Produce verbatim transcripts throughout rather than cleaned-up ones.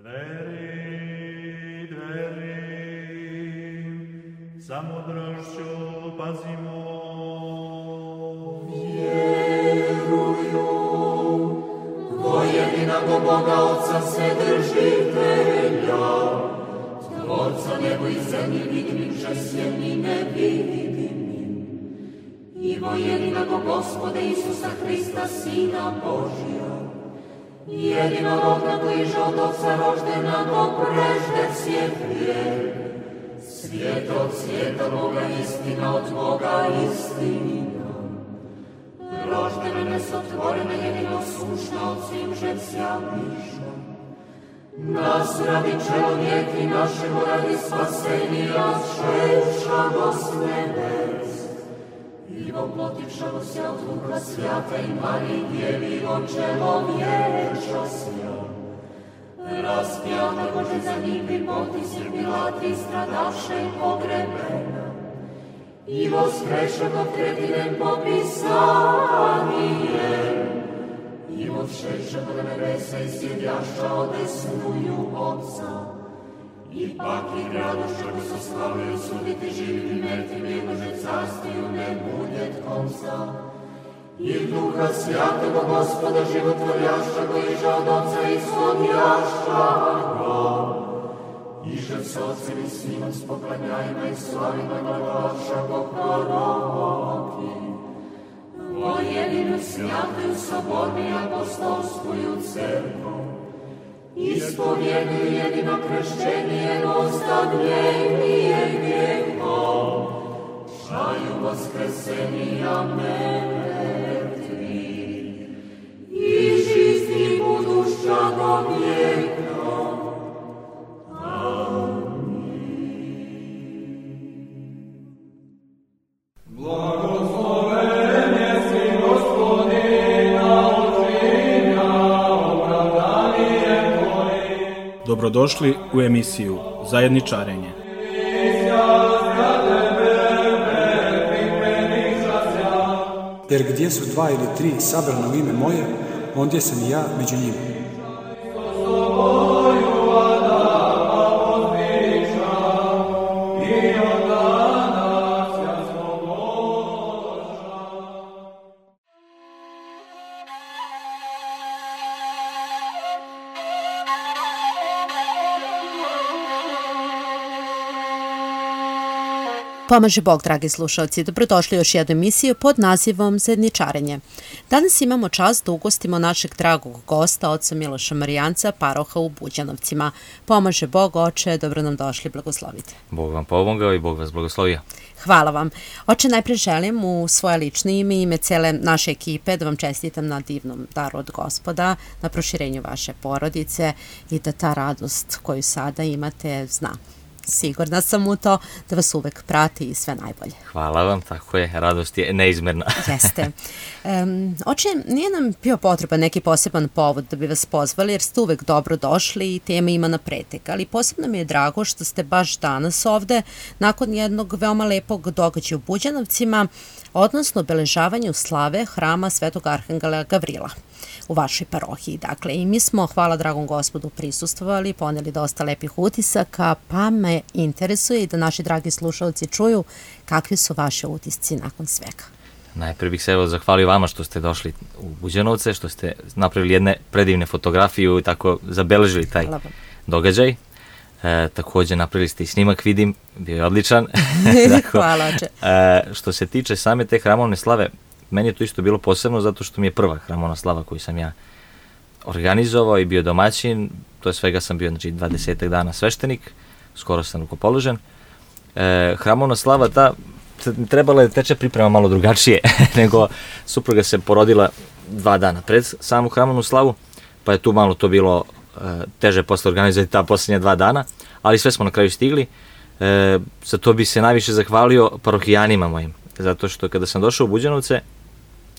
Dveri, dveri, sa mudrošću pazimo. Vjeruju, dvojedinog Boga Otca Vседržitelja, Tvorca nebo i zemlji vidimim, žesjem i nevidimim, i dvojedinog Gospoda Isusa Hrista, Sina Božja, jedinorodna koji je od Otca roždena do prežde svijet vijek, svijet od svijeta Boga, istina od Boga, istina. Roždena nesotvorena, jedino sušna od svim žecija miša. Nas radi čelovijek i našemu radi spasenija, šećamo s nebes. I voplotivšamo se od Duha Svjata i Mariji Djevi, od čelovječa sja. Raspjata Bože za njih bi potisir Pilati, stradaše i pogrebena. I voskrešanog tretinem popisanije. I odšešanog nebesa i sjedjaša odesnuju Otca. Ipak i radošću bi se slavio suditi živim i mrtvim, jednože carstiju ne bude konca. I Duha Svjatoga Gospoda životvorjašća go iža od Otca ishodjašća go. Iže s Otcem i Sinom s poklanjajima i slavima glavaša go proroki. O jedinu svjatuju sobornu i apostolskuju crkvu. Ispovjeduju jedino kršćenje, ostavljenije grijehom, šaju voskresenija mrtvih, i žizni budušća do vijeka. Dobrodošli u emisiju Zajedničarenje. Jer gdje su dva ili tri sabrana u ime moje, ondje sam i ja među njima. Pomaže Bog, dragi slušalci, dobrodošli u još jednu emisiju pod nazivom Zajedničarenje. Danas imamo čast da ugostimo našeg dragog gosta, oca Miloša Marijanca, paroha u Buđanovcima. Pomaže Bog, oče, dobro nam došli, blagoslovite. Bog vam pomogao i Bog vas blagoslovio. Hvala vam. Oče, najpre želim u svoje lično ime i ime cele naše ekipe da vam čestitam na divnom daru od Gospoda, na proširenju vaše porodice i da ta radost koju sada imate zna. Sigurna sam u to da vas uvek prati i sve najbolje. Hvala vam, tako je, radost je neizmerna. Jeste. Um, oče, nije nam bio potreban neki poseban povod da bi vas pozvali, jer ste uvek dobro došli i tema ima na pretek, ali posebno mi je drago što ste baš danas ovde nakon jednog veoma lepog događaja u Buđanovcima, odnosno obeležavanju slave hrama Svetog Arhangela Gavrila u vašoj parohiji. Dakle, i mi smo, hvala dragom Gospodu, prisustvovali, poneli dosta lepih utisaka, pa me interesuje i da naši dragi slušalci čuju kakvi su vaše utisci nakon svega. Najprije bih se evo zahvalio vama što ste došli u Buđanovce, što ste napravili jedne predivne fotografiju i tako zabeležili taj događaj. E, također napravili ste i snimak, vidim, bio je odličan. Dakle, hvala, oče. E, što se tiče same te hramovne slave, meni je to isto bilo posebno zato što mi je prva hramovna slava koju sam ja organizovao i bio domaćin. To je svega sam bio, znači, dvadesetak dana sveštenik, skoro sam rukopoložen. E, hramovna slava ta trebala je teče priprema malo drugačije, nego supruga se porodila dva dana pred samu hramovnu slavu, pa je tu malo to bilo e, teže posle organizovati ta posljednja dva dana, ali sve smo na kraju stigli. E, za to bi se najviše zahvalio parohijanima mojim, zato što kada sam došao u Buđanovce,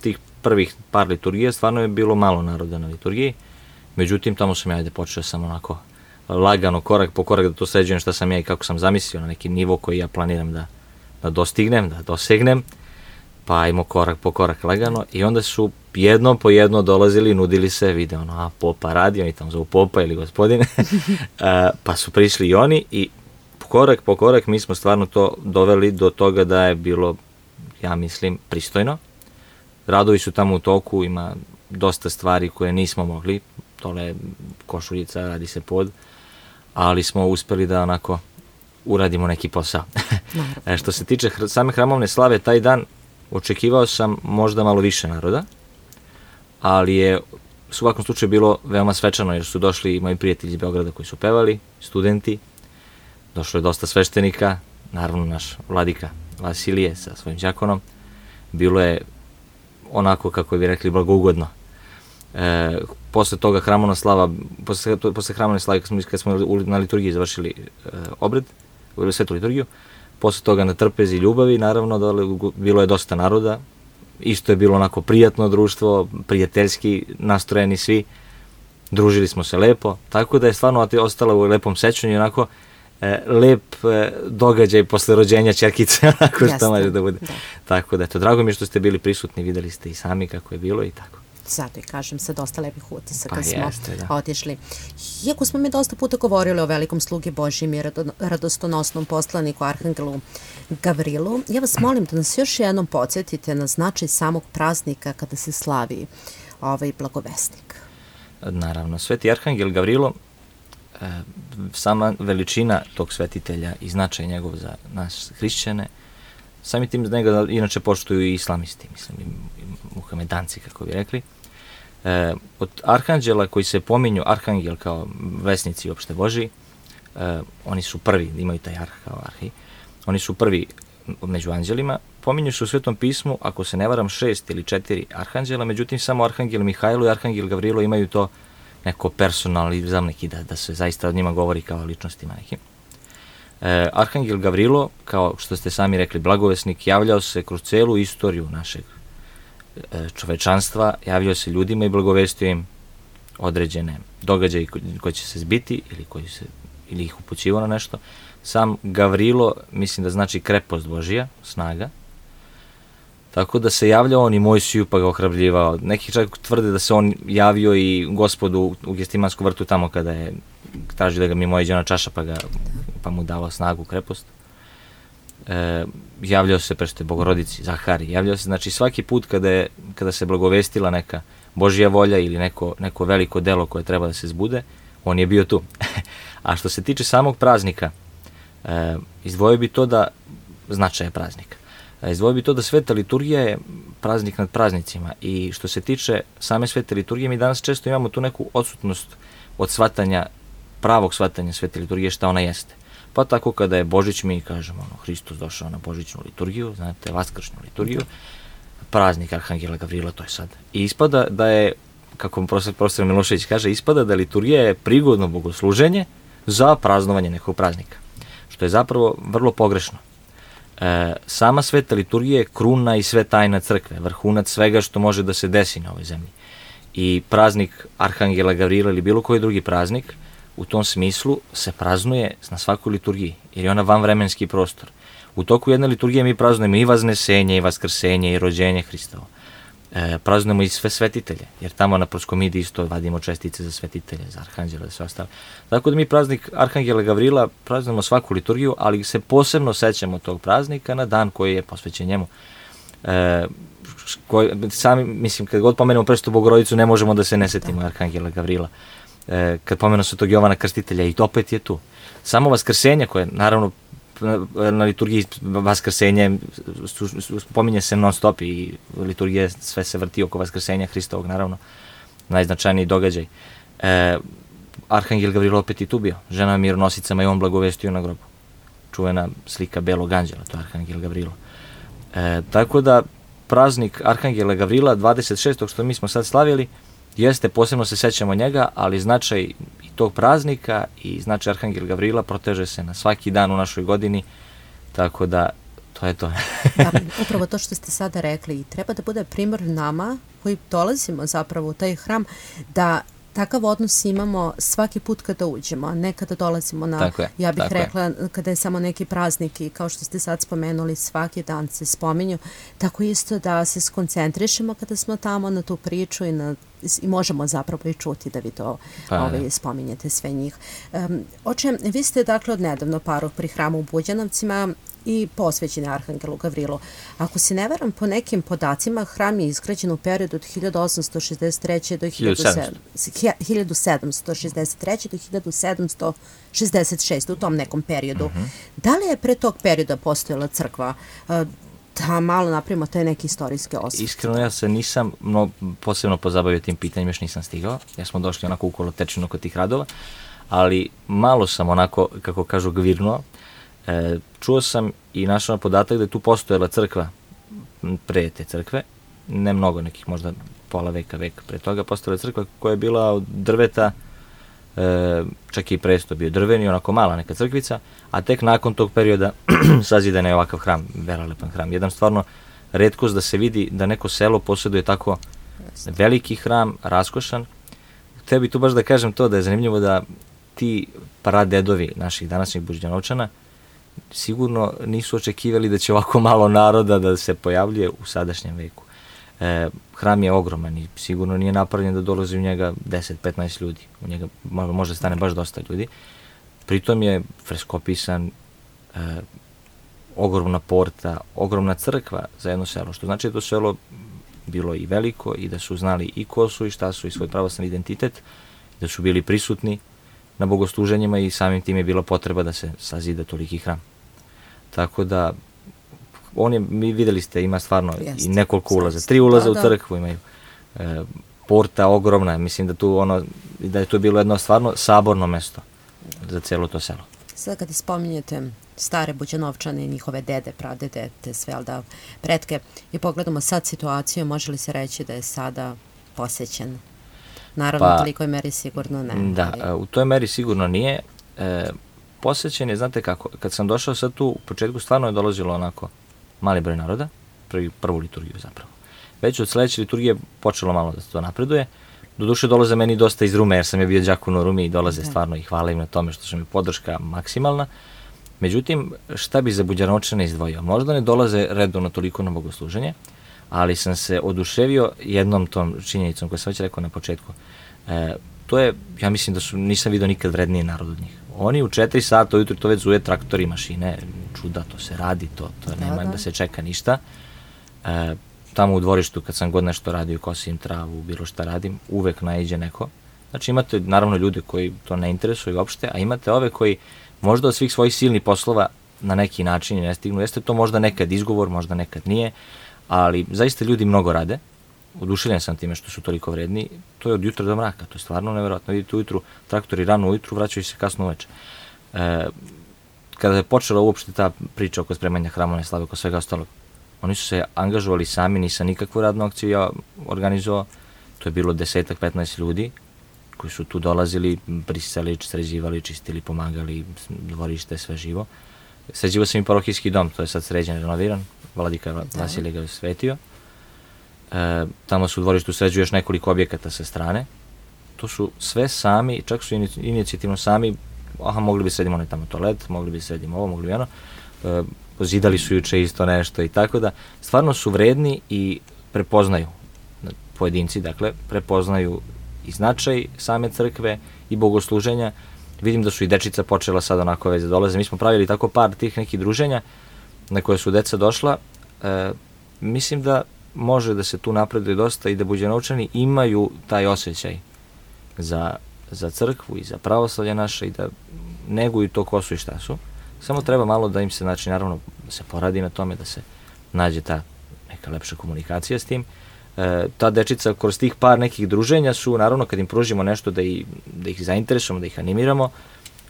tih prvih par liturgija stvarno je bilo malo naroda na liturgiji, međutim tamo sam ja ajde počeo sam onako lagano, korak po korak da to sređujem šta sam ja i kako sam zamislio na neki nivo koji ja planiram da, da dostignem, da dosegnem, pa ajmo korak po korak lagano i onda su jedno po jedno dolazili, nudili se, vide ono, a popa radi, oni tamo zovu popa ili gospodine, pa su prišli i oni i korak po korak mi smo stvarno to doveli do toga da je bilo, ja mislim, pristojno. Radovi su tamo u toku, ima dosta stvari koje nismo mogli, dole košuljica, radi se pod, ali smo uspeli da onako uradimo neki posao. E, što se tiče hr- same hramovne slave, taj dan očekivao sam možda malo više naroda, ali je u svakom slučaju bilo veoma svečano, jer su došli moji prijatelji iz Beograda koji su pevali, studenti, došlo je dosta sveštenika, naravno naš vladika Vasilije sa svojim đakonom. Bilo je onako, kako bi rekli, blagougodno. E, posle toga hramovna slava, posle, to, posle hramovne slave, kad smo, kad smo na liturgiji završili e, obred, svetu liturgiju, posle toga na trpezi ljubavi, naravno, dole, bilo je dosta naroda, isto je bilo onako prijatno društvo, prijateljski nastrojeni svi, družili smo se lepo, tako da je stvarno ostalo u lepom sećanju, onako, e, lep e, događaj posle rođenja ćerkice, onako što može da bude. Da. Tako da, eto, drago mi je što ste bili prisutni, videli ste i sami kako je bilo i tako. Zato i kažem, sa dosta lepih utisaka pa smo jeste, da. otišli. Iako smo mi dosta puta govorili o velikom slugi Božjem i radostonosnom poslaniku Arhangelu Gavrilu, ja vas molim da nas još jednom podsjetite na značaj samog praznika kada se slavi ovaj blagovesnik. Naravno, sveti Arhangel Gavrilo, e, sama veličina tog svetitelja i značaj njegov za nas hrišćane, sami tim da njega inače poštuju i islamisti, mislim, i, i muhamedanci, kako bi rekli. E, od arhanđela koji se pominju, arhangel kao vesnici opšte Božiji, e, oni su prvi, imaju taj arh kao arhi, oni su prvi među anđelima, pominju se u Svetom pismu, ako se ne varam, šest ili četiri arhanđela, međutim samo arhangel Mihajlo i arhangel Gavrilo imaju to neko personalizam neki, da, da se zaista od njima govori kao ličnostima nekim. E, Arhangel Gavrilo, kao što ste sami rekli, blagovesnik, javljao se kroz celu istoriju našeg e, čovečanstva, javljao se ljudima i blagovestio im određene događaje koji, koji će se zbiti ili, koji se, ili ih upućivao na nešto. Sam Gavrilo, mislim da znači krepost Božija, snaga, tako da se javljao on i Mojsiju pa ga ohrabljivao. Neki čak tvrde da se on javio i Gospodu u Gestimansku vrtu tamo kada je tražio da ga mimo iđe na čaša pa, ga, pa mu dao snagu, krepost. E, javljao se prešte Bogorodici, Zahari, javljao se, znači svaki put kada, je, kada se blagovestila neka Božja volja ili neko, neko veliko delo koje treba da se zbude, on je bio tu. A što se tiče samog praznika, e, izdvojio bi to da, značaja praznika, e, izdvojio bi to da sveta liturgija je praznik nad praznicima i što se tiče same svete liturgije, mi danas često imamo tu neku odsutnost od shvatanja, pravog shvatanja svete liturgije, šta ona jeste. Pa tako kada je Božić, mi kažemo, ono, Hristos došao na Božićnu liturgiju, znate, vaskršnju liturgiju, praznik Arhangela Gavrila, to je sad. I ispada da je, kako profesor, profesor Milošević kaže, ispada da liturgija je prigodno bogosluženje za praznovanje nekog praznika, što je zapravo vrlo pogrešno. E, sama sveta liturgija je kruna i sve tajna crkve, vrhunac svega što može da se desi na ovoj zemlji. I praznik Arhangela Gavrila ili bilo koji drugi praznik u tom smislu se praznuje na svakoj liturgiji, jer je ona vanvremenski prostor. U toku jedne liturgije mi praznujemo i vaznesenje, i vaskrsenje, i rođenje Hristovo. E, praznujemo i sve svetitelje, jer tamo na proskomidi isto vadimo čestice za svetitelje, za arhanđela, za sve ostalo. Tako da mi praznik Arhangela Gavrila praznujemo svaku liturgiju, ali se posebno sećamo tog praznika na dan koji je posvećen njemu. E, koji, sami, mislim, kad god pomenemo Presvetu Bogorodicu, ne možemo da se ne setimo Arhangela Gavrila. E, kad pomenu Svetog Jovana Krstitelja, i opet je tu. Samo vaskrsenje, koje naravno na, na liturgiji vaskrsenje pominje se non stop i liturgija sve se vrti oko vaskrsenja Hristovog, naravno, najznačajniji događaj. E, Arhangel Gavrilo opet i tu bio, žena mironosicama i on blagovestio na grobu. Čuvena slika belog anđela, to je Arhangel Gavrilo. E, tako da praznik Arhangela Gavrila dvadeset šestog što mi smo sad slavili, jeste, posebno se sećamo njega, ali značaj i tog praznika i značaj Arhangela Gavrila proteže se na svaki dan u našoj godini, tako da to je to. Da, upravo to što ste sada rekli, treba da bude primjer nama koji dolazimo zapravo u taj hram, da takav odnos imamo svaki put kada uđemo, a ne kada dolazimo na, tako je, ja bih tako rekla, je. Kada je samo neki praznik i kao što ste sad spomenuli, svaki dan se spominju, tako isto da se skoncentrišemo kada smo tamo na tu priču i, na, i možemo zapravo i čuti da vi to pa, ovaj, spominjete sve njih. Um, oče, vi ste dakle odnedavno paroh pri hramu u Buđanovcima i posvećeni Arhangelu Gavrilu. Ako se ne varam, po nekim podacima, hram je izgrađen u periodu od hiljadu osamsto šezdeset treće do hiljadu sedamsto šezdeset treće do hiljadu sedamsto šezdeset šeste u tom nekom periodu. Mm-hmm. Da li je pre tog perioda postojala crkva? Da malo napravimo taj neki istorijski osvrt. Iskreno, ja se nisam no, posebno pozabavio tim pitanjima, još nisam stigao. Ja smo došli onako u kolotečinu kod tih radova, ali malo sam onako, kako kažu, gvirnuo. E, čuo sam i našao podatak da je tu postojala crkva pre te crkve, ne mnogo, nekih možda pola veka, veka pre toga, postojala crkva koja je bila od drveta, e, čak i presto bio drveni, onako mala neka crkvica, a tek nakon tog perioda sazidan je ovakav hram, velelepan hram. Jedan stvarno retkost da se vidi da neko selo posjeduje tako veliki hram, raskošan. Htio bi tu baš da kažem to da je zanimljivo da ti pradedovi naših današnjih Buđanovčana sigurno nisu očekivali da će ovako malo naroda da se pojavljuje u sadašnjem veku. E, hram je ogroman i sigurno nije napravljen da dolazi u njega deset do petnaest ljudi. U njega može stane baš dosta ljudi. Pritom je freskopisan, e, ogromna porta, ogromna crkva za jedno selo, što znači da to selo bilo i veliko i da su znali i ko su i šta su i svoj pravoslavni identitet, da su bili prisutni na bogosluženjima i samim tim je bila potreba da se sazida toliki hram. Tako da, on je, mi videli ste, ima stvarno Jeste. i nekoliko ulaza, tri ulaza da, da. u crkvu imaju, e, porta ogromna, mislim da tu ono, da je to bilo jedno stvarno saborno mesto za cijelo to selo. Sad kada spominjete stare Buđanovčane i njihove dede, pradede, te sve, ali da pretke, i pogledamo sad situaciju, može li se reći da je sada posjećen? Naravno, pa, u tolikoj meri sigurno ne. Da, ali... u toj meri sigurno nije. E, posjećen je, znate kako, kad sam došao sad tu, u početku stvarno je dolazilo onako mali broj naroda, prvi, prvu liturgiju zapravo. Već od sledeće liturgije počelo malo da se to napreduje. Doduše dolaze meni dosta iz Rume, jer sam je bio đakon u Rumi i dolaze da. stvarno i hvala im na tome što su mi podrška maksimalna. Međutim, šta bi za Buđanovčane izdvojio? Možda ne dolaze redovno toliko na bogosluženje, ali sam se oduševio jednom tom činjenicom koju sam već rekao na početku. E, to je, ja mislim da su, nisam vidio nikad vredniji narod od njih. Oni u četiri sata ujutru to već zuje traktori, mašine, čuda, to se radi, to, to da, nema da. da se čeka ništa. E, tamo u dvorištu kad sam god nešto radio, kosim travu, bilo šta radim, uvek naiđe neko. Znači imate naravno ljude koji to ne interesuju uopšte, a imate ove koji možda od svih svojih silnih poslova na neki način ne stignu. Jeste to možda nekad izgovor, možda nekad nije, ali zaista ljudi mnogo rade. Oduševljen sam time što su toliko vredni. To je od jutra do mraka, to je stvarno nevjerojatno. Vidite ujutru, traktori rano ujutru, vraćaju se kasno uveče. E, kada je počela uopšte ta priča oko spremanja hramovne slave, oko svega ostalog, oni su se angažovali sami, nisam nikakvu radnu akciju ja organizovao. To je bilo desetak, petnaest ljudi koji su tu dolazili, brisali, sređivali, čistili, pomagali, dvorište, sve živo. Sređivao sam i parohijski dom, to je sad sređen, renoviran, Vladika Vasilije ga je svetio. E, tamo su u dvorištu sređuju još nekoliko objekata sa strane. To su sve sami, čak su inicijativno sami, aha, mogli bi sredimo onaj tamo toalet, mogli bi sredimo ovo, mogli bi ono. E, zidali su juče isto nešto i tako da, stvarno su vredni i prepoznaju, pojedinci, dakle, prepoznaju i značaj same crkve i bogosluženja. Vidim da su i dečica počela sad onako već da dolaze. Mi smo pravili tako par tih nekih druženja na koje su deca došla. E, mislim da može da se tu napreduje dosta i da Buđanovčani imaju taj osjećaj za, za crkvu i za pravoslavlje naše i da neguju to ko su i šta su. Samo treba malo da im se, znači, naravno, da se poradi na tome, da se nađe ta neka lepša komunikacija s tim. E, ta dečica kroz tih par nekih druženja su, naravno, kad im pružimo nešto da, i, da ih zainteresujemo, da ih animiramo,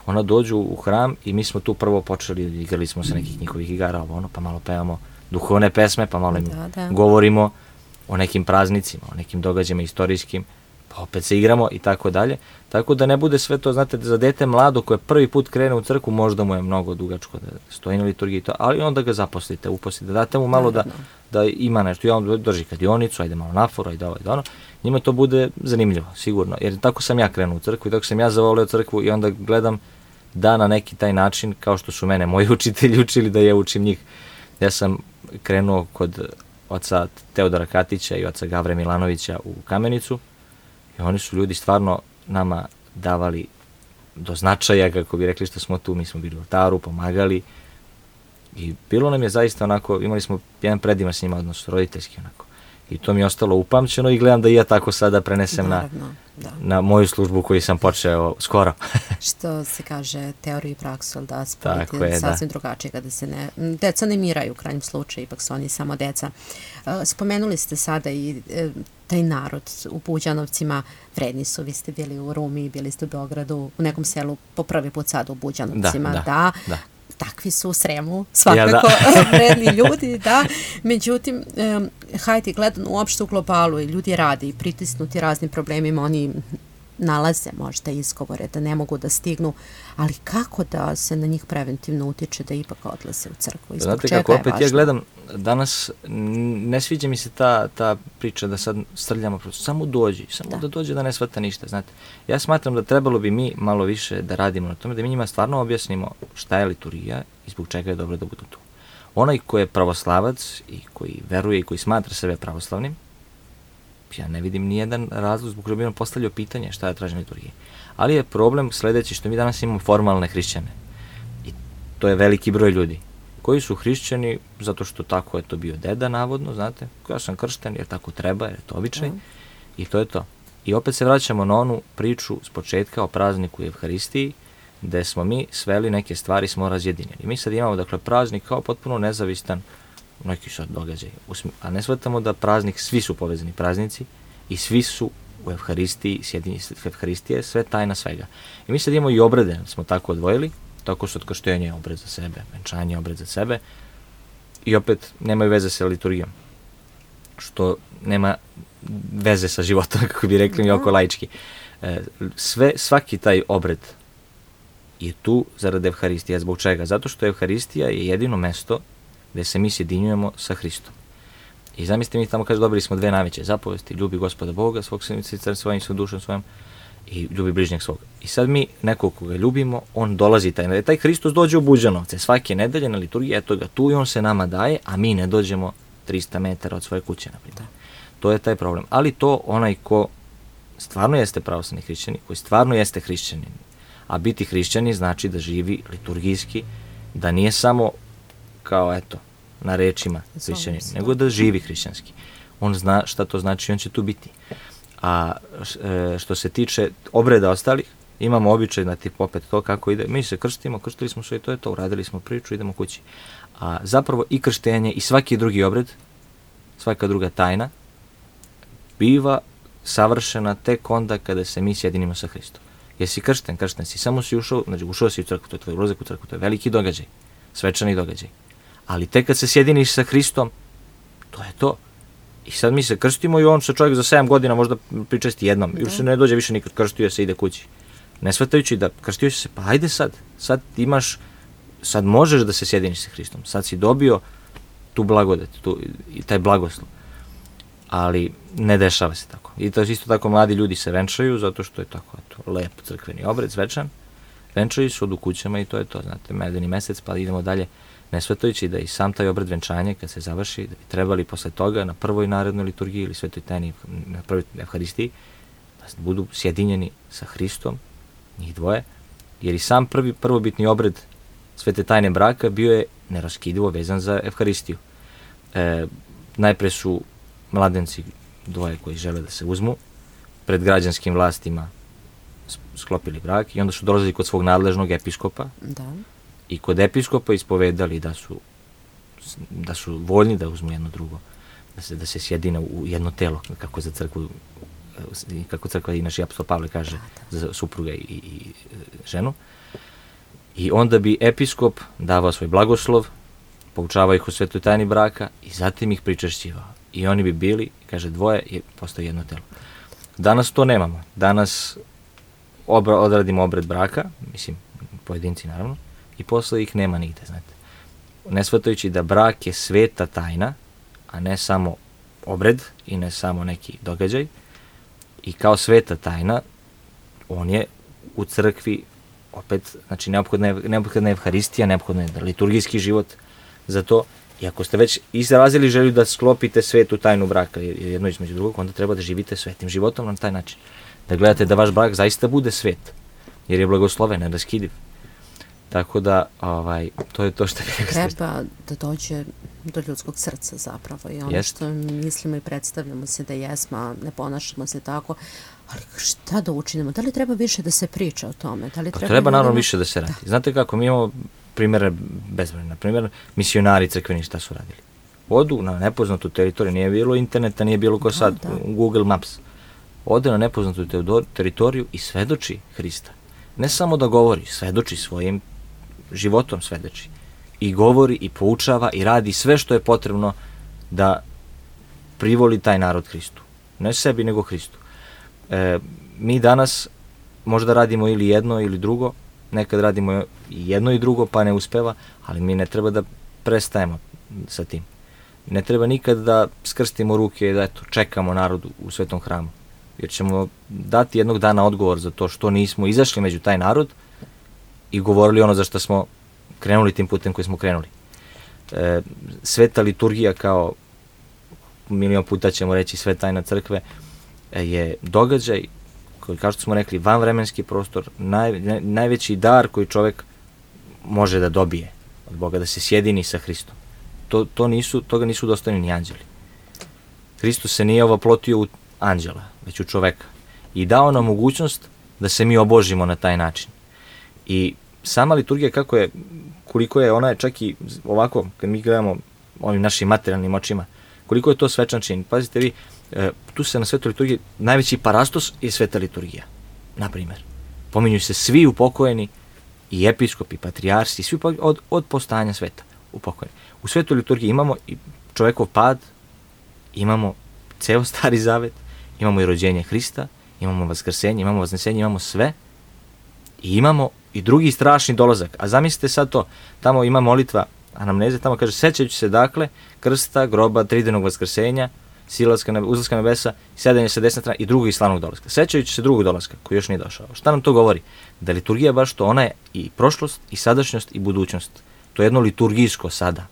ona dođu u hram i mi smo tu prvo počeli, igrali smo se nekih njihovih igara, ovo ono, pa malo pevamo duhovne pesme, pa malo im da, da. govorimo o nekim praznicima, o nekim događajima istorijskim, pa opet se igramo i tako dalje. Tako da ne bude sve to, znate, za dete mlado koje prvi put krene u crkvu, možda mu je mnogo dugačko da stoji na liturgiji, to, ali onda ga zaposlite, uposlite, date mu malo da, da ima nešto, i on drži kladionicu, ajde malo naforu, ajde ovo, ajde ono, njima to bude zanimljivo, sigurno, jer tako sam ja krenuo u crkvu i tako sam ja zavolio crkvu i onda gledam da na neki taj način, kao što su mene moji učitelji učili da ja učim njih. Ja sam krenuo kod oca Teodora Katića i oca Gavre Milanovića u Kamenicu i oni su ljudi stvarno nama davali do značaja, kako bi rekli što smo tu, mi smo bili u oltaru, pomagali i bilo nam je zaista onako, imali smo jedan predivan s njima odnos, roditeljski onako. I to mi je ostalo upamćeno i gledam da i ja tako sada prenesem Naravno, na, da. na moju službu koju sam počeo skoro. Što se kaže teoriju i praksu, da spojiti sasvim da. drugačije kada se ne, deca ne miraju u krajnjem slučaju, ipak su oni samo deca. Spomenuli ste sada i taj narod u Buđanovcima, vredni su, vi ste bili u Rumi, bili ste u Beogradu, u nekom selu po prvi put sada u Buđanovcima, da, da, da. da. Takvi su u Sremu, svakako ja, da. vredni ljudi, da. Međutim, um, hajde, gledano uopšte u globalu i ljudi rade i pritisnuti raznim problemima, oni nalaze možda izgovore da ne mogu da stignu, ali kako da se na njih preventivno utiče da ipak odlaze u crkvu? Znate kako, opet ja gledam, danas ne sviđa mi se ta, ta priča da sad strljamo, samo dođi, samo da. da dođe da ne shvata ništa, znate. Ja smatram da trebalo bi mi malo više da radimo na tome, da mi njima stvarno objasnimo šta je liturgija i zbog čega je dobro da budu tu. Onaj ko je pravoslavac i koji veruje i koji smatra sebe pravoslavnim, ja ne vidim nijedan razlog zbog kojeg bi nam postavljao pitanje šta ja tražim liturgije. Ali je problem sledeći što mi danas imamo formalne hrišćane. I to je veliki broj ljudi koji su hrišćani zato što tako je to bio deda, navodno, znate. Ja sam kršten jer tako treba, jer je to običaj. Mm. I to je to. I opet se vraćamo na onu priču s početka o prazniku i Evharistiji, gde smo mi sveli neke stvari, smo razjedinjeni. Mi sad imamo, dakle, praznik kao potpuno nezavistan neki sad događaj, a ne shvatamo da praznik, svi su povezani praznici i svi su u Evharistiji, sjedinjeni Evharistije, sve tajna svega. I mi sad imamo i obrede, smo tako odvojili, tako su otkrštenje obred za sebe, venčanje obred za sebe i opet nemaju veze sa liturgijom, što nema veze sa životom, kako bi rekli mi oko laički. Sve, svaki taj obred je tu zarad Evharistija. Zbog čega? Zato što Evharistija je jedino mesto gde se mi sjedinjujemo sa Hristom. I zamislite, mi tamo kaže, dobili smo dve najveće zapovesti, ljubi Gospoda Boga, svog srcem svojim, svojom dušom svojom i ljubi bližnjeg svog. I sad mi, nekog koga ljubimo, on dolazi, taj, taj Hristos dođe u Buđanovce svake nedelje na liturgiji, eto ga tu i on se nama daje, a mi ne dođemo trista metara od svoje kuće, na primjer. To je taj problem. Ali to onaj ko stvarno jeste pravoslavni hrišćanin, koji stvarno jeste hrišćanin, a biti hrišćanin znači da živi liturgijski, da nije samo kao, eto, na rečima hrišćanin, nego da živi hrišćanski. On zna šta to znači i on će tu biti. A što se tiče obreda ostalih, imamo običaj na tip opet to kako ide. Mi se krstimo, krstili smo sve i to je to, uradili smo priču, idemo kući. A zapravo i krštenje i svaki drugi obred, svaka druga tajna, biva savršena tek onda kada se mi sjedinimo sa Hristom. Jesi kršten, kršten si, samo si ušao, znači ušao si u crkvu, to je tvoj ulazak u crkvu, to je veliki događaj, svečani događaj. Ali tek kad se sjediniš sa Hristom, to je to. I sad mi se krstimo i on se čovjek za sedam godina možda pričesti jednom. Još se ne dođe više nikad, krstio se, ide kući. Ne shvatajući da krstio se, pa ajde sad, sad imaš, sad možeš da se sjediniš sa Hristom. Sad si dobio tu blagodet, tu, i taj blagoslov. Ali ne dešava se tako. I to isto tako mladi ljudi se venčaju, zato što je tako eto, lep crkveni obred, svečan. Venčaju se, odu kućama i to je to, znate, medeni mesec, pa idemo dalje. Ne shvatajući da i sam taj obred venčanja, kad se završi, da bi trebali posle toga na prvoj narednoj liturgiji ili svetoj tajni, na prvoj Evharistiji, da budu sjedinjeni sa Hristom, njih dvoje, jer i sam prvi prvobitni obred svete tajne braka bio je neraskidivo vezan za Evharistiju. E, najpre su mladenci dvoje koji žele da se uzmu, pred građanskim vlastima sklopili brak i onda su dolazili kod svog nadležnog episkopa, da. I kod episkopa ispovedali da su da su voljni da uzmu jedno drugo, da se, da se sjedine u jedno telo, kako za crkvu, kako crkva i naš apostol Pavle kaže, da, da. Za supruga i, i ženu. I onda bi episkop davao svoj blagoslov, poučavao ih o svetoj tajni braka i zatim ih pričešćivao. I oni bi bili, kaže, dvoje je postao jedno telo. Danas to nemamo. Danas obra, odradimo obred braka, mislim, pojedinci naravno, i posle ih nema nigde, znate. Ne shvatajući da brak je sveta tajna, a ne samo obred i ne samo neki događaj. I kao sveta tajna, on je u crkvi opet, znači neophodna je, neophodna je evharistija, neophodna je liturgijski život za to. I ako ste već izrazili želju da sklopite svetu tajnu braka, jedno između drugog, onda treba da živite svetim životom na taj način. Da gledate da vaš brak zaista bude svet, jer je blagosloven, neraskidiv. Tako da, ovaj, to je to što bih treba da dođe do ljudskog srca zapravo i ono Jest. što mislimo i predstavljamo se da jesmo, a ne ponašamo se tako, ali šta da učinimo? Da li treba više da se priča o tome? Da li Pa treba, treba naravno ljudima... više da se radi. Da. Znate kako, mi imamo primjere bezbrojne. Na primjer, misionari crkveni šta su radili? Odu na nepoznatu teritoriju, nije bilo interneta, nije bilo ko Da, sad, da. Google Maps. Ode na nepoznatu teodor- teritoriju i svedoči Hrista. Ne samo da govori, svedoči svojim životom, svedoči. I govori, i poučava, i radi sve što je potrebno da privoli taj narod Hristu. Ne sebi, nego Hristu. E, mi danas možda radimo ili jedno ili drugo, nekad radimo i jedno i drugo pa ne uspeva, ali mi ne treba da prestajemo sa tim. Ne treba nikad da skrstimo ruke i da eto, čekamo narodu u Svetom hramu. Jer ćemo dati jednog dana odgovor za to što nismo izašli među taj narod i govorili ono za što smo krenuli tim putem koji smo krenuli. E, sveta liturgija, kao milion puta ćemo reći sve tajna crkve, je događaj koji, kao što smo rekli, vanvremenski prostor, naj, naj, najveći dar koji čovjek može da dobije od Boga, da se sjedini sa Hristom. To, to nisu, toga nisu dostojni ni anđeli. Hristos se nije ovoplotio u anđela, već u čoveka. I dao nam mogućnost da se mi obožimo na taj način. I sama liturgija, kako je, koliko je, ona je čak i ovako, kad mi gledamo ovim našim materijalnim očima, koliko je to svečan čin. Pazite vi, e, tu se na svetoj liturgiji, najveći parastos je sveta liturgija, na primjer. Pominju se svi upokojeni, i episkopi, i patrijarsi, svi od, od postanja sveta upokojeni. U svetoj liturgiji imamo i čovekov pad, imamo ceo Stari Zavet, imamo i rođenje Hrista, imamo vaskrsenje, imamo vaznesenje, imamo sve i imamo i drugi strašni dolazak. A zamislite sad to, tamo ima molitva anamneze, tamo kaže, sećajući se dakle krsta, groba, tridenog vaskrsenja, silaska na, uzlaska na nebesa, sedanje sa desne strane i drugog i slavnog dolaska. Sećajući se drugog dolaska koji još nije došao. Šta nam to govori? Da liturgija baš to, ona je i prošlost, i sadašnjost, i budućnost. To je jedno liturgijsko sada.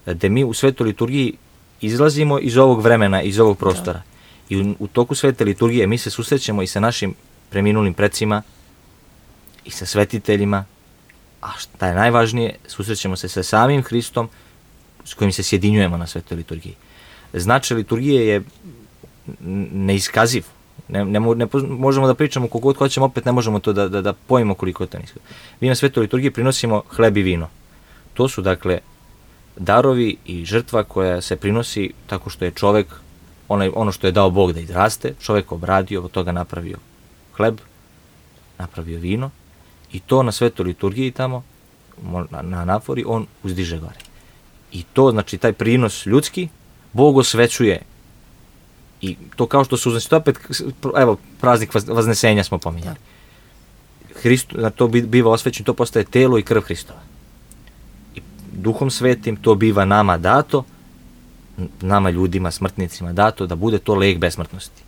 Da mi u svetoj liturgiji izlazimo iz ovog vremena, iz ovog prostora. Da. I u, u toku svete liturgije mi se susrećemo i sa našim preminulim precima, i sa svetiteljima, a šta je najvažnije, susrećemo se sa samim Hristom s kojim se sjedinjujemo na svetoj liturgiji. Značaj liturgije je neiskaziv. Ne, ne, ne, možemo da pričamo koliko god hoćemo, opet ne možemo to da, da, da pojmimo koliko je to neiskaziv. Mi na svetoj liturgiji prinosimo hleb i vino. To su, dakle, darovi i žrtva koja se prinosi tako što je čovek, onaj, ono što je dao Bog da izraste, čovek obradio, od toga napravio hleb, napravio vino, i to na svetoj liturgiji tamo, na, na anafori, on uzdiže gore. I to, znači, taj prinos ljudski, Bog osvećuje. I to kao što su, znači, to opet, evo, praznik vaznesenja smo pominjali. Hristo, na to biva osvećen, to postaje telo i krv Hristova. I Duhom Svetim to biva nama dato, nama ljudima, smrtnicima dato, da bude to lek besmrtnosti.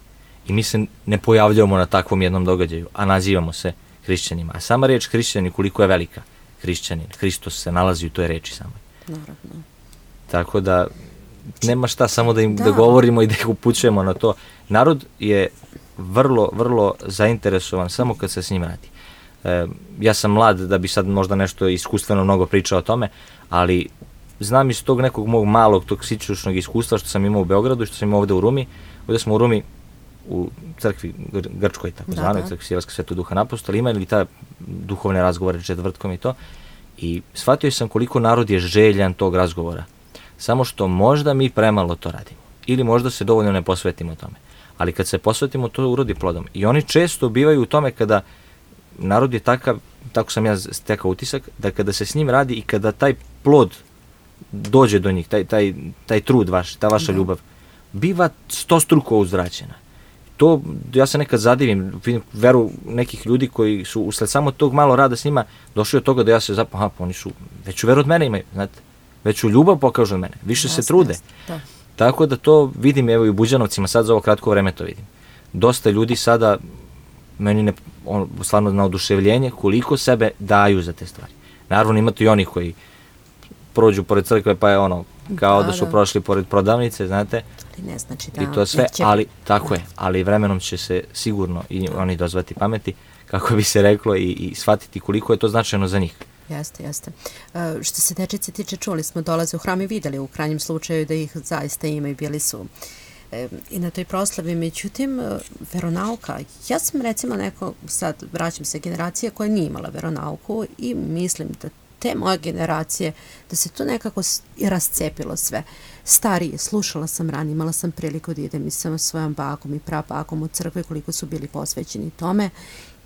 I mi se ne pojavljamo na takvom jednom događaju, a nazivamo se hrišćanima. A sama reč hrišćani, koliko je velika, hrišćanin, Hristos se nalazi u toj reči samoj. Naravno. Tako da nema šta, samo da im Da. da govorimo i da ih upućujemo na to. Narod je vrlo, vrlo zainteresovan samo kad se s njim radi. E, ja sam mlad da bi sad možda nešto iskustveno mnogo pričao o tome, ali znam iz tog nekog mog malog toksičnog iskustva što sam imao u Beogradu i što sam imao ovde u Rumi. Ovde smo u Rumi u crkvi Gr Grčkoj, tako Da, zvanoj, da. crkvi Silarska Svetog Duha Apostola, imali ta duhovne razgovore četvrtkom i to. I shvatio sam koliko narod je željan tog razgovora. Samo što možda mi premalo to radimo. Ili možda se dovoljno ne posvetimo tome. Ali kad se posvetimo, to urodi plodom. I oni često bivaju u tome kada narod je takav, tako sam ja stekao utisak, da kada se s njim radi i kada taj plod dođe do njih, taj, taj, taj trud vaš, ta vaša Da. ljubav, biva stostruko uzvraćena. to, ja se nekad zadivim, vidim veru nekih ljudi koji su usled samo tog malo rada s njima došli od toga da ja se zapravo, aha, pa oni su, veću veru od mene imaju, znate, veću ljubav pokažu od mene, više Jasne, se trude. jasne, da. Tako da to vidim, evo i u Buđanovcima, sad za ovo kratko vreme to vidim. Dosta ljudi sada, meni ne, on, stvarno na oduševljenje, koliko sebe daju za te stvari. Naravno imate i onih koji prođu pored crkve pa je ono, kao da, da su da. prošli pored prodavnice, znate. Ali ne znači da... I to sve, neće... ali tako je, ali vremenom će se sigurno i oni dozvati pameti, kako bi se reklo, i, i shvatiti koliko je to značajno za njih. Jeste, jeste. E, što se dečice tiče, čuli smo, dolaze u hram i videli u krajnjem slučaju da ih zaista ima i bili su e, i na toj proslavi. Međutim, veronauka, ja sam recimo neko, sad vraćam se generacije koja nije imala veronauku i mislim da te moje generacije, da se to nekako i rascepilo sve. Starije, slušala sam ranije, imala sam priliku da idem i sa svojom bakom i prabakom u crkve, koliko su bili posvećeni tome.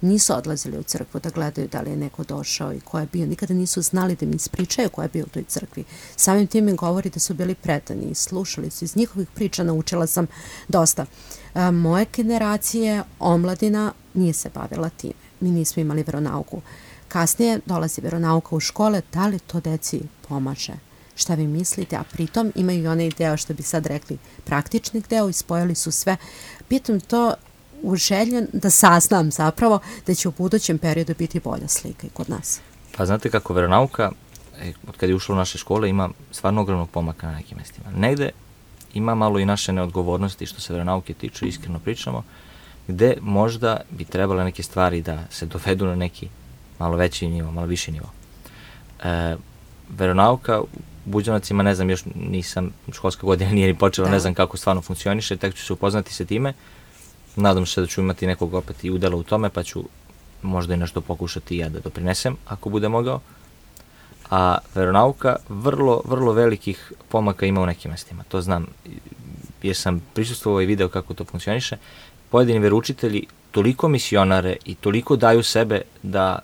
Nisu odlazili u crkvu da gledaju da li je neko došao i ko je bio. Nikada nisu znali da mi ispričaju ko je bio u toj crkvi. Samim tim mi govori da su bili predani i slušali su. Iz njihovih priča naučila sam dosta. A, moje generacije, omladina, nije se bavila time. Mi nismo imali veronauku. Kasnije dolazi veronauka u škole, da li to deci pomaže? Šta vi mislite? A pritom imaju i onaj deo, što bi sad rekli, praktični deo i spojili su sve. Pitam to u želju da saznam zapravo da će u budućem periodu biti bolja slika i kod nas. Pa znate kako, veronauka, od kada je ušla u naše škole, ima stvarno ogromnog pomaka na nekim mestima. Negde ima malo i naše neodgovornosti što se veronauke tiču, iskreno pričamo, gde možda bi trebale neke stvari da se dovedu na neki malo veći nivo, malo viši nivo. E, veronauka u Buđanovcima, ne znam, još nisam, školska godina nije ni počela, da. Ne znam kako stvarno funkcioniše, tek ću se upoznati sa time. Nadam se da ću imati nekog opet i udela u tome, pa ću možda i nešto pokušati i ja da doprinesem, ako bude mogao. A veronauka vrlo, vrlo velikih pomaka ima u nekim mestima. To znam, jer sam prisustvovao i video kako to funkcioniše. Pojedini veroučitelji toliko misionare i toliko daju sebe da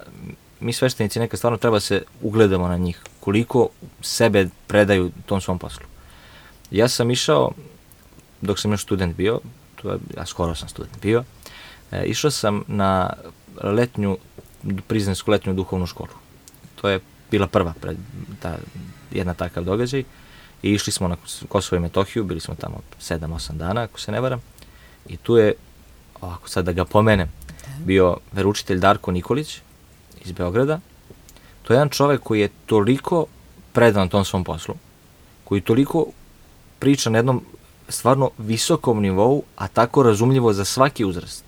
mi sveštenici nekad stvarno treba se ugledamo na njih, koliko sebe predaju tom svom poslu. Ja sam išao, dok sam još student bio, ja skoro sam student bio, e, išao sam na letnju, priznansku letnju duhovnu školu. To je bila prva pred, ta, jedna takav događaj i išli smo na Kosovo i Metohiju, bili smo tamo sedam osam dana, ako se ne varam, i tu je, ovako sad da ga pomenem, bio veroučitelj Darko Nikolić iz Beograda. To je jedan čovek koji je toliko predan tom svom poslu, koji toliko priča na jednom stvarno visokom nivou, a tako razumljivo za svaki uzrast,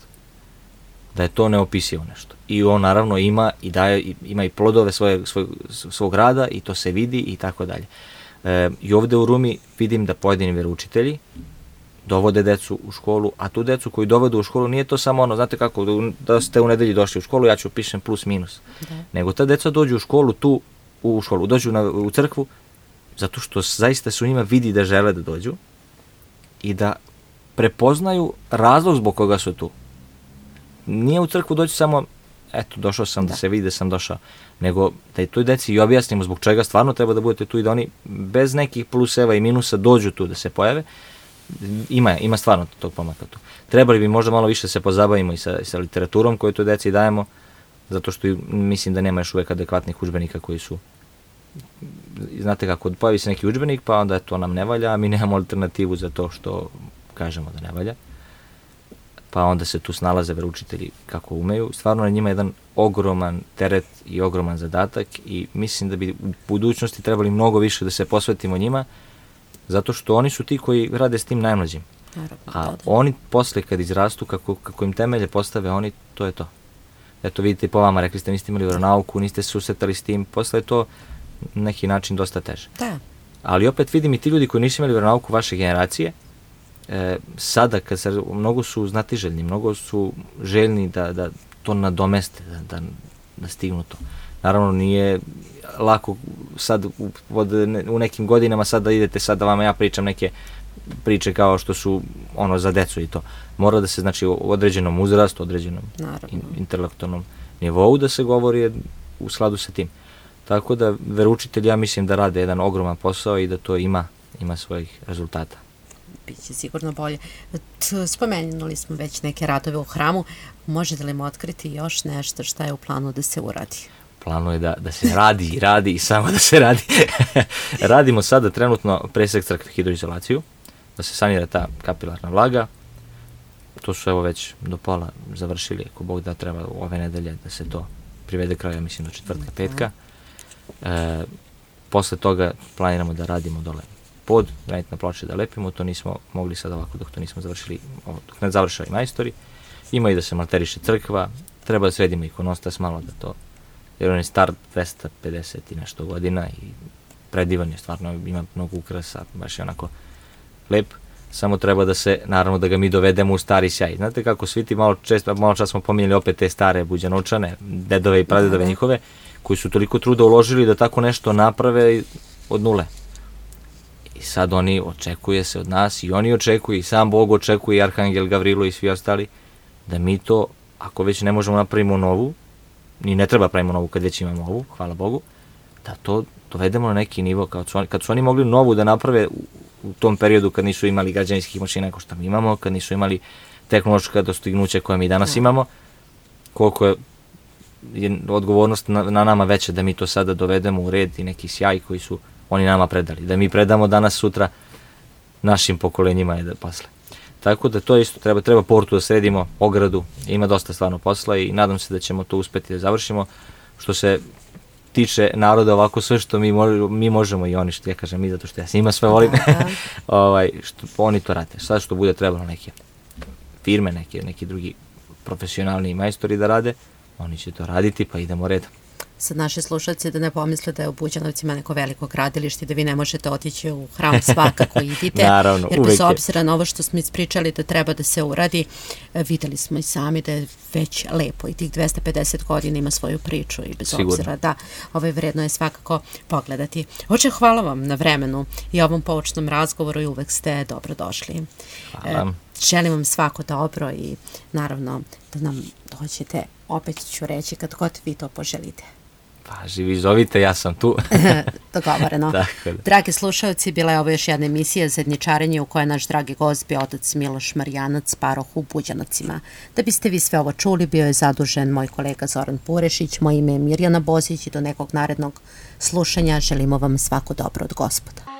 da je to neopisivo nešto. I on naravno ima i daje, ima i plodove svoje, svoj, svog rada i to se vidi i tako dalje. E, I ovde u Rumi vidim da pojedini veroučitelji dovode decu u školu, a tu decu koju dovedu u školu nije to samo ono, znate kako, da ste u nedelji došli u školu, ja ću pišem plus minus. Da. Nego ta deca dođu u školu tu, u školu, dođu na, u crkvu, zato što zaista su njima vidi da žele da dođu i da prepoznaju razlog zbog koga su tu. Nije u crkvu doći samo, eto, došao sam da, da se vidi da sam došao, nego da i toj deci i objasnimo zbog čega stvarno treba da budete tu i da oni bez nekih pluseva i minusa dođu tu da se pojave. Ima, ima stvarno tog pomaka tu. Trebali bi možda malo više se pozabavimo i sa, sa literaturom koju toj deci dajemo, zato što mislim da nema još uvek adekvatnih udžbenika koji su, znate kako, pojavi se neki udžbenik pa onda to nam ne valja, a mi nemamo alternativu za to što kažemo da ne valja. Pa onda se tu snalaze veroučitelji kako umeju. Stvarno na njima je jedan ogroman teret i ogroman zadatak i mislim da bi u budućnosti trebali mnogo više da se posvetimo njima, zato što oni su ti koji rade s tim najmlađim. A oni posle kad izrastu, kako, kako im temelje postave oni, to je to. Eto vidite po vama, rekli ste niste imali veronauku, niste se susretali s tim, posle je to neki način dosta teže. Da. Ali opet vidim i ti ljudi koji nisu imali veronauku vaše generacije, e, sada kad se, mnogo su znatiželjni, mnogo su željni da, da to nadomeste, da, da, da stignu to. Naravno nije lako sad u, od, u nekim godinama sad da idete sad da vama ja pričam neke priče kao što su ono za decu i to. Mora da se znači u određenom uzrastu, određenom in, intelektualnom nivou da se govori u skladu sa tim. Tako da veroučitelji ja mislim da rade jedan ogroman posao i da to ima, ima svojih rezultata. biće sigurno bolje. T- Spomenuli smo već neke radove u hramu. Možete li mu otkriti još nešto šta je u planu da se uradi? Planu je da, da se radi i radi i samo da se radi. Radimo sada trenutno presek crkve, hidroizolaciju, da se sanira ta kapilarna vlaga. To su evo već do pola završili, ako Bog da treba ove nedelje da se to privede kraja, mislim do četvrtka, petka. E, posle toga planiramo da radimo dole pod, granitne ploče da lepimo, to nismo mogli sad ovako dok to nismo završili, dok ne završali majstori. Ima i da se malteriše crkva, treba da sredimo ikonostas malo da to, jer on je star dvesta pedeset i nešto godina i predivan je, stvarno ima mnogo ukrasa, baš je onako lep, samo treba da se, naravno da ga mi dovedemo u stari sjaj. Znate kako svi ti malo često, malo čas smo pominjali opet te stare buđanovčane, dedove i pradedove njihove, koji su toliko truda uložili da tako nešto naprave od nule. I sad oni očekuje se od nas i oni očekuju i sam Bog očekuje i Arhangel Gavrilo i svi ostali da mi to, ako već ne možemo napravimo novu, ni ne treba pravimo novu kad već imamo ovu, hvala Bogu, da to dovedemo na neki nivo, kad su oni, kad su oni mogli novu da naprave u, u tom periodu kad nisu imali građevinskih mašina kao što mi imamo, kad nisu imali tehnološka dostignuća koja mi danas imamo, koliko je, je odgovornost na, na nama veća da mi to sada dovedemo u red i neki sjaj koji su oni nama predali, da mi predamo danas sutra našim pokolenjima i da posle. Tako da to isto treba, treba portu da sredimo, ogradu, ima dosta stvarno posla i nadam se da ćemo to uspeti da završimo. Što se tiče naroda, ovako sve što mi, mo, mi možemo i oni, što ja kažem mi, zato što ja s njima sve volim, ovaj, što oni to rade. Sad što bude trebalo neke firme, neke, neki drugi profesionalni majstori da rade, oni će to raditi, pa idemo redom. Sad naši slušalci da ne pomisle da je u Buđanovcima neko veliko gradilište i da vi ne možete otići u hram, svakako idite. Naravno, jer uvek bez je. obzira na ovo što smo ispričali da treba da se uradi, videli smo i sami da je već lepo i tih dvesta pedeset godina ima svoju priču i bez Sigurno. obzira da ovaj vredno je svakako pogledati. Oče, hvala vam na vremenu i ovom poučnom razgovoru i uvek ste dobro došli. Hvala. Želim vam svako dobro i naravno da nam dođete, opet ću reći, kad god vi to poželite. Pa živi, zovite, ja sam tu. Dogovoreno. Tako da. Dragi slušalci, bila je ovo još jedna emisija Zajedničarenje u kojoj je naš dragi gost bio otac Miloš Marjanac, paroh u Buđanovcima. Da biste vi sve ovo čuli, bio je zadužen moj kolega Zoran Purešić, moje ime je Mirjana Bozić i do nekog narednog slušanja želimo vam svako dobro od Gospoda.